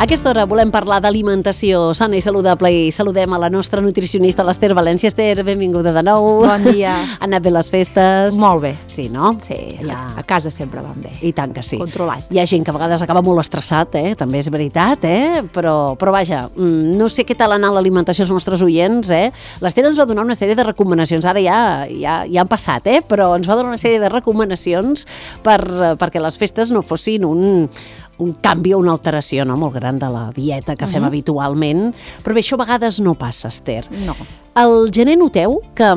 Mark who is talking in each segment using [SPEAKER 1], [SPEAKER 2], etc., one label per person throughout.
[SPEAKER 1] A aquesta hora volem parlar d'alimentació sana i saludable i saludem a la nostra nutricionista, l'Ester València. Ester, benvinguda de nou.
[SPEAKER 2] Bon dia.
[SPEAKER 1] Han anat bé les festes?
[SPEAKER 2] Molt bé.
[SPEAKER 1] Sí, no?
[SPEAKER 2] Sí, a casa sempre van bé.
[SPEAKER 1] I tant que sí.
[SPEAKER 2] Controlat.
[SPEAKER 1] Hi ha gent que a vegades acaba molt estressat, també és veritat, però vaja, no sé què tal ha anat l'alimentació als nostres oients, L'Ester ens va donar una sèrie de recomanacions, ara ja han passat, però ens va donar una sèrie de recomanacions perquè les festes no fossin un canvi o una alteració molt gran de la dieta que fem habitualment, però bé, això a vegades no passa, Ester.
[SPEAKER 2] No.
[SPEAKER 1] El gener noteu que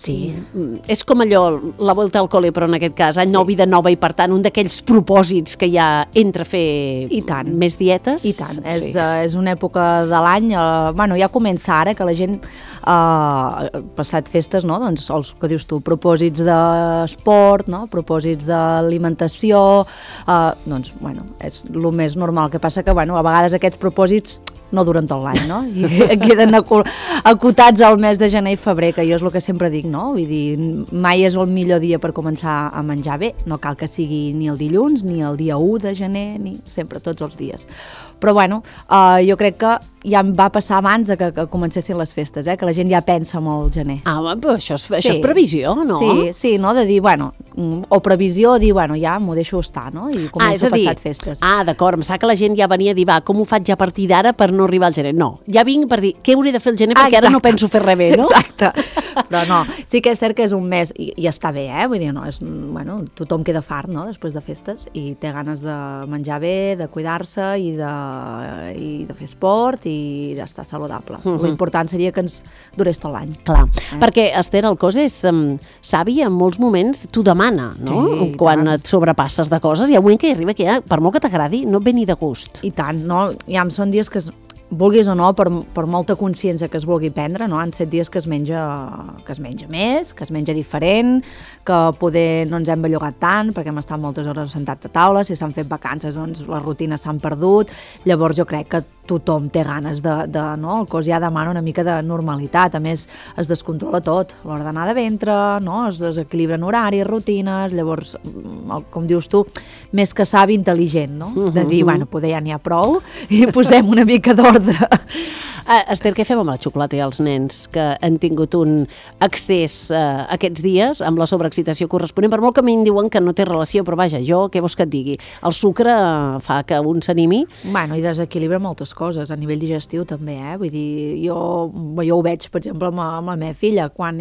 [SPEAKER 2] sí.
[SPEAKER 1] És com allò, la volta al col·le, però en aquest cas, any nou, vida nova, i per tant, un d'aquells propòsits que hi ha entre fer més dietes?
[SPEAKER 2] I tant, és una època de l'any, ja comença ara que la gent, passat festes, no? Doncs els que dius tu, propòsits d'esport, no? Propòsits d'alimentació, és el més normal, que passa que, a vegades aquests propòsits no duren tot l'any, no? I queden acotats al mes de gener i febrer, que jo és el que sempre dic, no? Vull dir, mai és el millor dia per començar a menjar bé, no cal que sigui ni el dilluns, ni el dia 1 de gener, ni sempre, tots els dies. Però jo crec que ja em va passar abans que comencessin les festes, que la gent ja pensa molt al gener.
[SPEAKER 1] Però això és previsió, no?
[SPEAKER 2] Sí, no? De dir, o previsió, dir, ja m'ho deixo estar, no? I començo passat festes.
[SPEAKER 1] D'acord, em sap que la gent ja venia a dir, com ho faig ja a partir d'ara per no arribar al gener? No, ja vinc per dir, què hauré de fer al gener perquè ara no penso fer res bé, no?
[SPEAKER 2] Exacte, però no, sí que és cert que és un mes, i està bé, vull dir, no, tothom queda fart, no?, després de festes, i té ganes de menjar bé, de cuidar-se i de fer esport i d'estar saludable. L'important seria que ens durés tot l'any.
[SPEAKER 1] Clar, perquè, Ester, el cos és savi, en molts moments t'ho demana, no?
[SPEAKER 2] Sí,
[SPEAKER 1] quan et sobrepasses de coses, hi ha un moment que hi arriba que ja, per molt que t'agradi, no et ve ni de gust.
[SPEAKER 2] I tant, no? Ja són dies que vulguis o no, per molta consciència que es vulgui prendre, no? Han 7 dies que es menja més, que es menja diferent, que poder no ens hem bellugat tant, perquè hem estat moltes hores sentats a taula, si s'han fet vacances, doncs les rutines s'han perdut, llavors jo crec que tothom té ganes no? El cos ja demana una mica de normalitat, a més es descontrola tot, l'hora d'anar de ventre, no? Es desequilibren horaris, rutines, llavors, com dius tu, més que savi, intel·ligent, no? De dir, poder ja n'hi ha prou i posem una mica d'ordre.
[SPEAKER 1] Ester, què fem amb la xocolata i els nens que han tingut un excés aquests dies amb la sobreexcitació corresponent? Per molt que a mi em diuen que no té relació, però vaja, què vols que et digui? El sucre fa que un s'animi?
[SPEAKER 2] I desequilibra moltes coses, a nivell digestiu també, Vull dir, jo ho veig, per exemple, amb la meva filla, quan,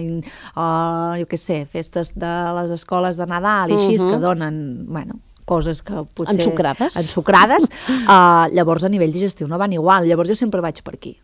[SPEAKER 2] festes de les escoles de Nadal i així, que donen, coses que potser... Ensucrades. Llavors, a nivell digestiu no van igual. Llavors, jo sempre vaig per aquí.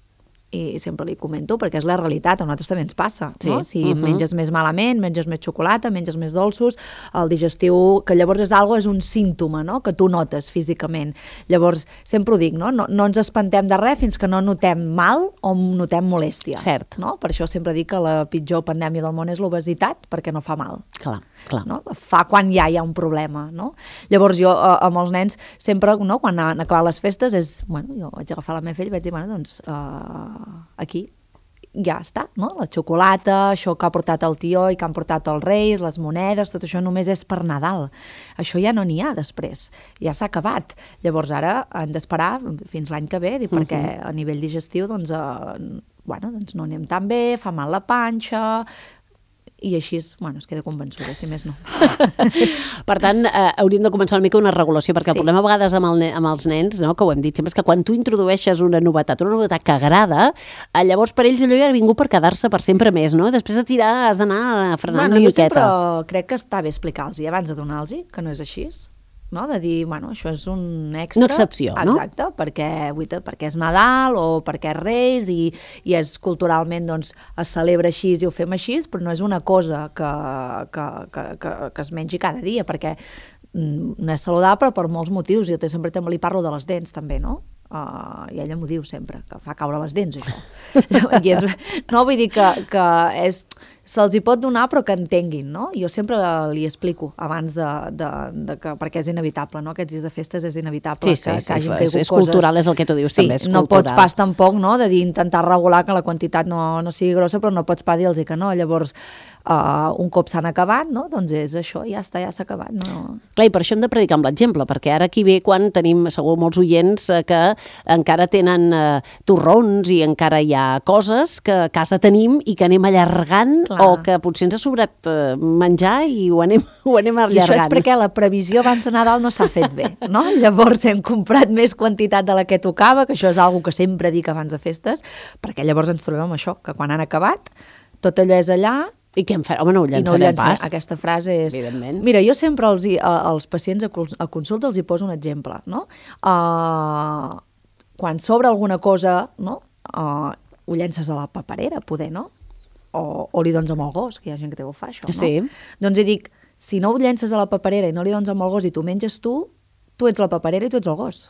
[SPEAKER 2] I sempre li comento, perquè és la realitat, a nosaltres també ens passa, no? Si menges més malament, menges més xocolata, menges més dolços, el digestiu, que llavors és un símptoma, no?, que tu notes físicament. Llavors, sempre ho dic, no ens espantem de res fins que no notem mal o notem molèstia.
[SPEAKER 1] Cert.
[SPEAKER 2] No? Per això sempre dic que la pitjor pandèmia del món és l'obesitat, perquè no fa mal.
[SPEAKER 1] Clar.
[SPEAKER 2] No? Fa quan ja hi ha un problema, no? Llavors jo amb els nens sempre, no, quan han acabat les festes jo vaig agafar la meva filla i vaig dir, aquí ja està, no? La xocolata, això que ha portat el tió i que han portat els reis, les monedes, tot això només és per Nadal. Això ja no n'hi ha després, ja s'ha acabat. Llavors ara hem d'esperar fins l'any que ve, perquè a nivell digestiu doncs no anem tan bé, fa mal la panxa, i així es queda convençuda, si més no.
[SPEAKER 1] Per tant, hauríem de començar una mica una regulació, perquè el problema a vegades amb els nens, no, que ho hem dit sempre, és que quan tu introdueixes una novetat que agrada, llavors per ells allò ja ha vingut per quedar-se per sempre més, no? Després de tirar has d'anar frenant una miqueta.
[SPEAKER 2] Jo sempre crec que està bé explicar-los, abans de donar-los, que no és així, no? De dir, això és un extra.
[SPEAKER 1] Una excepció, no?
[SPEAKER 2] Exacte, perquè és Nadal o perquè és Reis i és culturalment, doncs, es celebra així i ho fem així, però no és una cosa que es mengi cada dia, perquè no és saludable per molts motius. Jo sempre li parlo de les dents, també, no? I ella m'ho diu sempre, que fa caure les dents, això. No, vull dir que se'ls hi pot donar, però que entenguin, no? Jo sempre li explico abans que, perquè és inevitable, no? Aquests dies de festes és inevitable que hagin caigut coses.
[SPEAKER 1] És cultural, és el que tu dius, també és cultural.
[SPEAKER 2] No pots pas tampoc, no?, de dir, intentar regular que la quantitat no sigui grossa, però no pots pas dir-los que no. Llavors, un cop s'han acabat, no? Doncs és això, ja està, ja s'ha acabat. No?
[SPEAKER 1] Clar, i per això hem de predicar amb l'exemple, perquè ara aquí ve quan tenim segur molts oients que encara tenen torrons i encara hi ha coses que a casa tenim i que anem allargant. Clar. O que potser ens ha sobrat menjar i ho anem allargant.
[SPEAKER 2] I això és perquè la previsió abans de Nadal no s'ha fet bé, no? Llavors hem comprat més quantitat de la que tocava, que això és una que sempre dic abans de festes, perquè llavors ens trobem amb això, que quan han acabat, tot allò és allà.
[SPEAKER 1] I què en farem? Home, no ho llançarem pas.
[SPEAKER 2] Aquesta frase és...
[SPEAKER 1] Evidentment.
[SPEAKER 2] Mira, jo sempre als pacients a consulta els hi poso un exemple, no? Quan sobra alguna cosa, no? Ho llences a la paperera, poder, no? O li dones amb el gos, que hi ha gent que ho fa, això, no?
[SPEAKER 1] Sí.
[SPEAKER 2] Doncs dic, si no ho llences a la paperera i no li dones amb el gos i tu menges tu ets la paperera i tu ets el gos.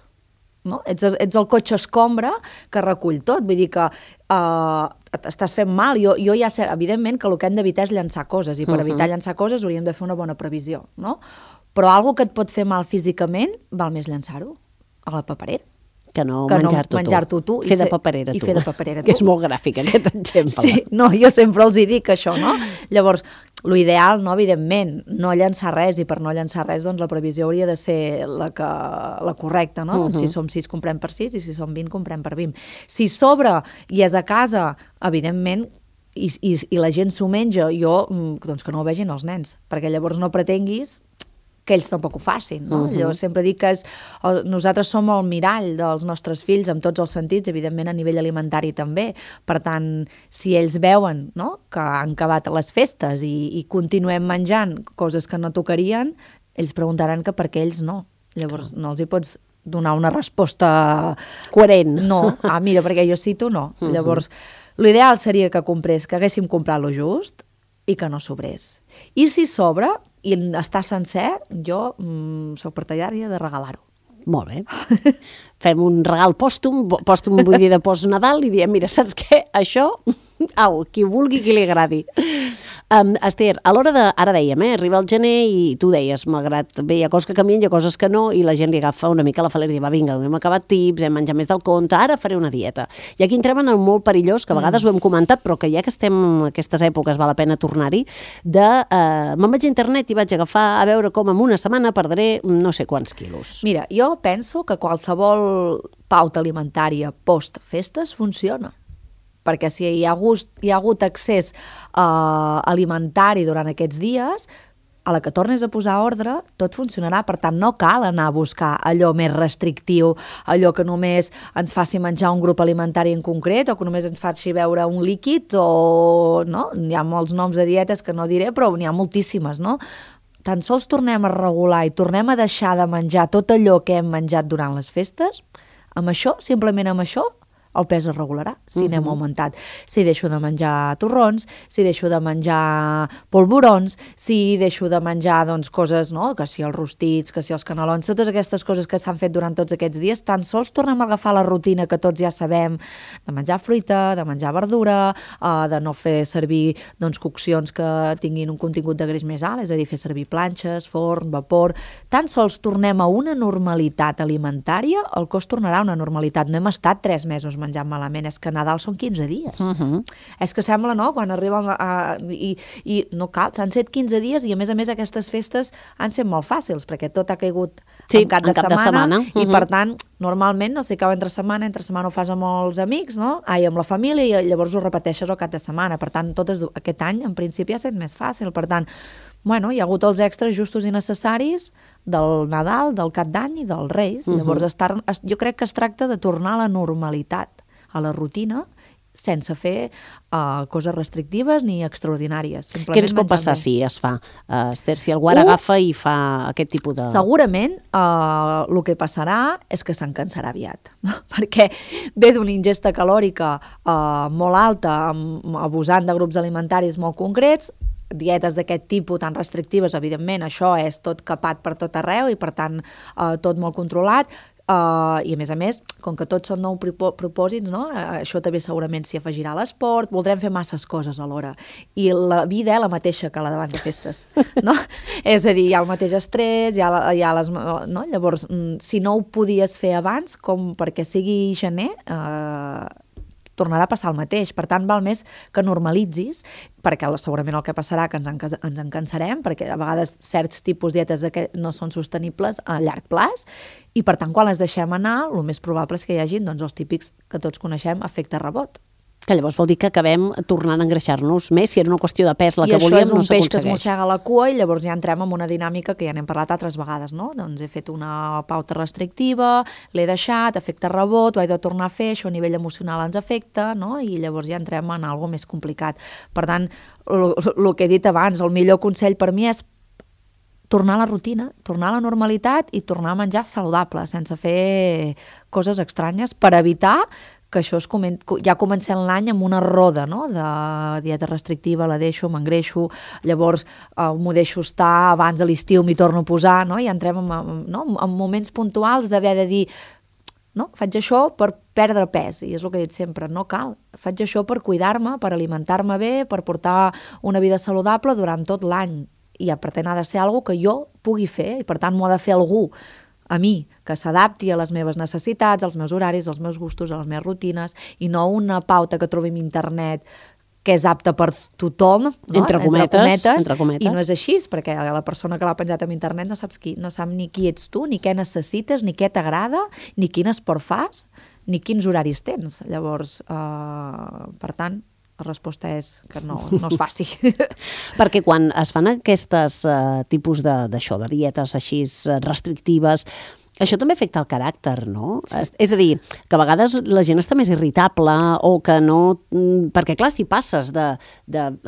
[SPEAKER 2] No? Ets el cotxe escombra que recull tot, vull dir que estàs fent mal. Jo ja sé, evidentment que el que hem d'evitar és llançar coses, i per evitar llançar coses hauríem de fer una bona previsió, no? Però alguna que et pot fer mal físicament, val més llançar-ho a la paperera.
[SPEAKER 1] Que no menjar-t'ho tu. Fer de paperera tu.
[SPEAKER 2] I fer de paperera tu.
[SPEAKER 1] Que és molt gràfic, aquest exemple.
[SPEAKER 2] Sí, no, jo sempre els hi dic això, no? Llavors, l'ideal, no, evidentment, no llançar res, i per no llançar res, doncs la previsió hauria de ser la correcta, no? Doncs si som 6, comprem per 6, i si som 20, comprem per 20. Si sobra i és a casa, evidentment, i la gent s'ho menja, doncs que no ho vegin els nens, perquè llavors no pretenguis que ells tampoc ho facin, no? Jo sempre dic que nosaltres som el mirall dels nostres fills en tots els sentits, evidentment a nivell alimentari també. Per tant, si ells veuen, no?, que han acabat les festes i continuem menjant coses que no tocarien, ells preguntaran que per què ells no. Llavors no els hi pots donar una resposta
[SPEAKER 1] coherent.
[SPEAKER 2] No, mira, perquè jo sí, tu no. Llavors, l'ideal seria que haguéssim comprat lo just i que no sobrés. I si sobra i està sencer, jo soc partidària de regalar-ho.
[SPEAKER 1] Molt bé. Fem un regal pòstum vull dir de post-Nadal, i diem, mira, saps què? Això, qui vulgui, qui li agradi. Esther, a l'hora de... Ara dèiem, arriba el gener i tu deies, malgrat bé, hi ha coses que canvien, hi ha coses que no, i la gent li agafa una mica la falera i diu, va, vinga, hem acabat tips, hem menjat més del compte, ara faré una dieta. I aquí entrem en el molt perillós, que a vegades ho hem comentat, però que ja que estem en aquestes èpoques val la pena tornar-hi, me'n vaig a internet i vaig agafar a veure com en una setmana perdré no sé quants quilos.
[SPEAKER 2] Mira, jo penso que qualsevol pauta alimentària post-festes funciona. Perquè si hi ha hagut accés alimentari durant aquests dies, a la que tornes a posar ordre, tot funcionarà. Per tant, no cal anar a buscar allò més restrictiu, allò que només ens faci menjar un grup alimentari en concret, o que només ens faci beure un líquid, o... no? Hi ha molts noms de dietes que no diré, però n'hi ha moltíssimes, no? Tan sols tornem a regular i tornem a deixar de menjar tot allò que hem menjat durant les festes, amb això, simplement amb això, el pes es regularà, si n'hem augmentat. Si deixo de menjar torrons, si deixo de menjar polvorons, si deixo de menjar doncs, coses, no? Que si els rostits, que si els canelons, totes aquestes coses que s'han fet durant tots aquests dies, tan sols tornem a agafar la rutina que tots ja sabem, de menjar fruita, de menjar verdura, de no fer servir doncs, coccions que tinguin un contingut de greix més alt, és a dir, fer servir planxes, forn, vapor. Tan sols tornem a una normalitat alimentària, el cos tornarà a una normalitat. No hem estat 3 mesos menjant malament, és que Nadal són 15 dies. És que sembla, no?, quan arriben i no cal, s'han set 15 dies i a més aquestes festes han set molt fàcils, perquè tot ha caigut en cap de setmana. I per tant, normalment, no sé, cau entre setmana ho fas amb els amics, no?, amb la família, i llavors ho repeteixes al cap de setmana. Per tant, aquest any, en principi, ha estat més fàcil. Per tant, bueno, hi ha hagut els extras justos i necessaris del Nadal, del Cap d'Any i dels Reis. Llavors, jo crec que es tracta de tornar a la normalitat, a la rutina, sense fer coses restrictives ni extraordinàries.
[SPEAKER 1] Què ens pot passar si es fa, Esther? Si algú ara agafa i fa aquest tipus de...
[SPEAKER 2] Segurament el que passarà és que se'n cansarà aviat, perquè ve d'una ingesta calòrica molt alta, abusant de grups alimentaris molt concrets, dietes d'aquest tipus tan restrictives, evidentment, això és tot capat per tot arreu i, per tant, tot molt controlat. I, a més, com que tots són nous propòsits, no? Això també segurament s'hi afegirà a l'esport, voldrem fer masses coses alhora. I la vida és la mateixa que la davant de festes, no? És a dir, hi ha el mateix estrès, hi ha les... No? Llavors, si no ho podies fer abans, com perquè sigui gener... tornarà a passar el mateix. Per tant, val més que normalitzis, perquè segurament el que passarà que ens en cansarem, perquè a vegades certs tipus de dietes no són sostenibles a llarg plaç, i per tant, quan les deixem anar, el més probable és que hi hagi els típics que tots coneixem, efecte rebot.
[SPEAKER 1] Que llavors vol dir que acabem tornant a engreixar-nos més, si era una qüestió de pes la que volíem, no s'aconsegueix.
[SPEAKER 2] I això és un peix que es mossega la cua i llavors ja entrem en una dinàmica que ja n'hem parlat altres vegades, no? Doncs he fet una pauta restrictiva, l'he deixat, efecte rebot, ho he de tornar a fer, això a nivell emocional ens afecta, no? I llavors ja entrem en alguna més complicat. Per tant, el que he dit abans, el millor consell per mi és tornar a la rutina, tornar a la normalitat i tornar a menjar saludable, sense fer coses estranyes, per evitar que això ja comencem l'any amb una roda, no? De dieta restrictiva, la deixo, m'engreixo, llavors m'ho deixo estar, abans de l'estiu m'hi torno a posar, no? I entrem en moments puntuals d'haver de dir, no? Faig això per perdre pes, i és el que he dit sempre, no cal, faig això per cuidar-me, per alimentar-me bé, per portar una vida saludable durant tot l'any, i per tant ha de ser alguna que jo pugui fer, i per tant m'ho ha de fer algú a mi, que s'adapti a les meves necessitats, als meus horaris, als meus gustos, a les meves rutines, i no una pauta que trobem a internet que és apta per tothom, no?
[SPEAKER 1] Entre cometes,
[SPEAKER 2] i no és així, perquè la persona que l'ha penjat en internet no sap ni qui ets tu, ni què necessites, ni què t'agrada, ni quin esport fas, ni quins horaris tens. Llavors, per tant, la resposta és que no es faci.
[SPEAKER 1] Perquè quan es fan aquests tipus de dietes així restrictives, això també afecta el caràcter, no? Sí. És a dir, que a vegades la gent està més irritable o que no... Perquè, clar, si passes a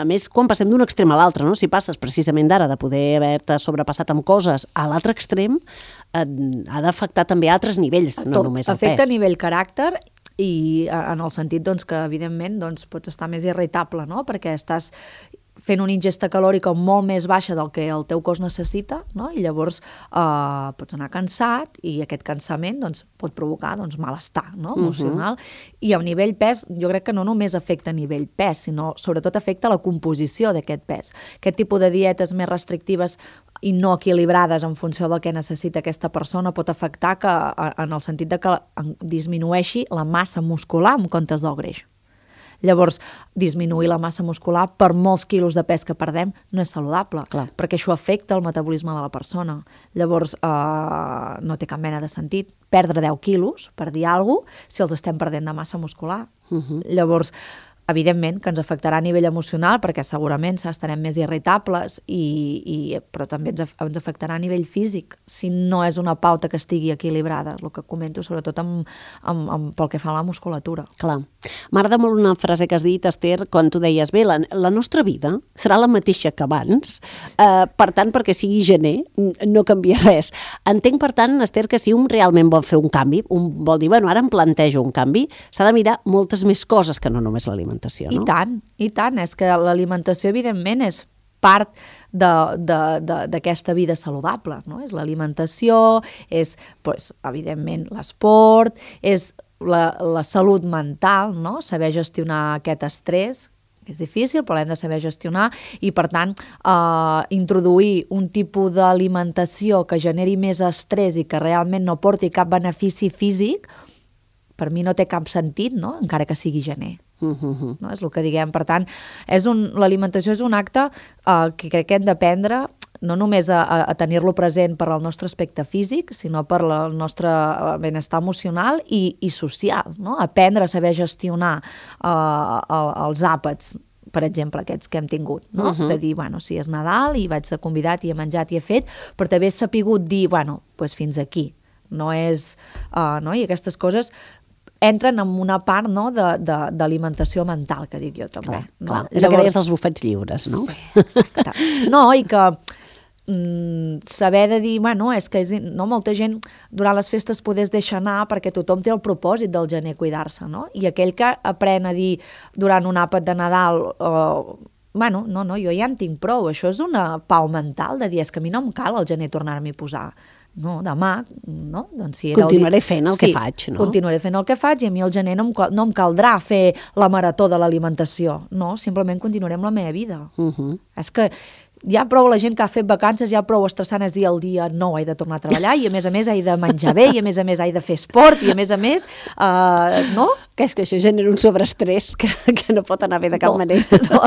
[SPEAKER 1] més, quan passem d'un extrem a l'altre, no? Si passes precisament d'ara de poder haver-te sobrepassat amb coses a l'altre extrem, ha d'afectar també a altres nivells, no només el pes.
[SPEAKER 2] Afecta a nivell caràcter i en el sentit que, evidentment, pots estar més irritable, no? Perquè estàs fent una ingesta calòrica molt més baixa del que el teu cos necessita, no? I llavors pots anar cansat i aquest cansament pot provocar malestar, no? Emocional. I a nivell pes, jo crec que no només afecta a nivell pes, sinó sobretot afecta la composició d'aquest pes. Aquest tipus de dietes més restrictives i no equilibrades en funció del que necessita aquesta persona pot afectar en el sentit de que disminueixi la massa muscular en comptes del greix. Llavors, disminuir la massa muscular per molts quilos de pes que perdem no és saludable, perquè això afecta el metabolisme de la persona. Llavors, no té cap mena de sentit perdre 10 quilos, per dir alguna cosa, si els estem perdent de massa muscular. Llavors, evidentment que ens afectarà a nivell emocional perquè segurament estarem més irritables però també ens afectarà a nivell físic si no és una pauta que estigui equilibrada, és el que comento sobretot pel que fa a la musculatura.
[SPEAKER 1] Clar. M'agrada molt una frase que has dit, Esther, quan tu deies, bé, la nostra vida serà la mateixa que abans, per tant, perquè sigui gener, no canvia res. Entenc, per tant, Esther, que si un realment vol fer un canvi, vol dir, bueno, ara em plantejo un canvi, s'ha de mirar moltes més coses que no només l'alimentació. No?
[SPEAKER 2] I tant, és que l'alimentació evidentment és part d'aquesta vida saludable, no? És l'alimentació, és evidentment l'esport, és la salut mental, no? Saber gestionar aquest estrès, que és difícil, però l'hem de saber gestionar i, per tant, introduir un tipus d'alimentació que generi més estrès i que realment no porti cap benefici físic, per mi no té cap sentit, no? Encara que sigui gener. No? És el que diguem. Per tant, l'alimentació és un acte que crec que hem d'aprendre no només a tenir-lo present per al nostre aspecte físic, sinó per al nostre benestar emocional i social. No? Aprendre a saber gestionar els àpats, per exemple, aquests que hem tingut, no? De dir, bueno, si és Nadal i vaig de convidat i he menjat i he fet, però també he sapigut dir, bueno, doncs fins aquí. No és... no? I aquestes coses entren en una part, no, d'alimentació mental, que dic jo també.
[SPEAKER 1] Clar. És el que deies dels bufets lliures, no?
[SPEAKER 2] Sí, exacte. No, i que saber de dir, bueno, és que molta gent durant les festes podés deixar anar perquè tothom té el propòsit del gener cuidar-se, no? I aquell que aprèn a dir durant un àpat de Nadal, bueno, no, jo ja en tinc prou, això és una pau mental de dir, és que a mi no em cal el gener tornar-m'hi a posar. No, demà, no? Doncs si
[SPEAKER 1] continuaré fent el que faig, no?
[SPEAKER 2] Continuaré fent el que faig i a mi el gener no em caldrà fer la marató de l'alimentació. No, simplement continuaré amb la meva vida. És que ja prou la gent que ha fet vacances, ja prou estressant és dir el dia 9 he de tornar a treballar i a més he de menjar bé i a més he de fer esport i a més, no?
[SPEAKER 1] Que és que això genera un sobreestrès que no pot anar bé de cap manera.
[SPEAKER 2] No.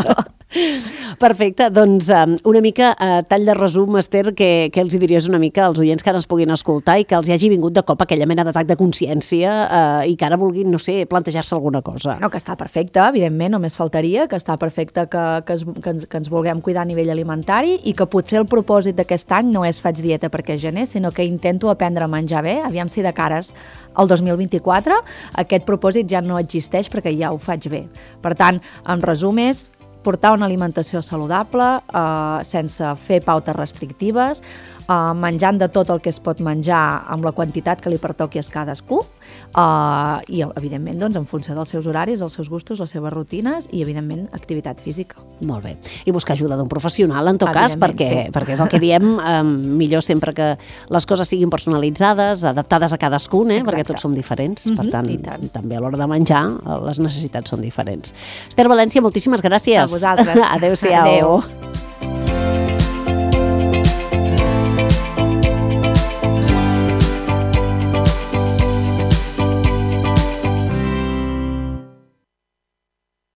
[SPEAKER 1] Perfecte, doncs una mica tall de resum, Esther, que els hi diries una mica als oients que ara ens puguin escoltar i que els hi hagi vingut de cop aquella mena d'atac de consciència i que ara vulguin, no sé, plantejar-se alguna cosa.
[SPEAKER 2] No, que està perfecte, evidentment, només faltaria, que està perfecte que ens vulguem cuidar a nivell alimentari i que potser el propòsit d'aquest any no és faig dieta perquè és gener, sinó que intento aprendre a menjar bé, aviam si de cares al 2024 aquest propòsit ja no existeix perquè ja ho faig bé. Per tant, en resum és portar una alimentació saludable, sense fer pautes restrictives, menjant de tot el que es pot menjar amb la quantitat que li pertoqui a cadascú i, evidentment, doncs, en funció dels seus horaris, els seus gustos, les seves rutines i, evidentment, activitat física.
[SPEAKER 1] Molt bé. I buscar ajuda d'un professional, en tot cas, perquè és el que diem, millor sempre que les coses siguin personalitzades, adaptades a cadascun, perquè tots som diferents. Per tant, també a l'hora de menjar les necessitats són diferents. Esther València, moltíssimes gràcies.
[SPEAKER 2] A vosaltres.
[SPEAKER 1] Adéu-siau.
[SPEAKER 2] Adéu.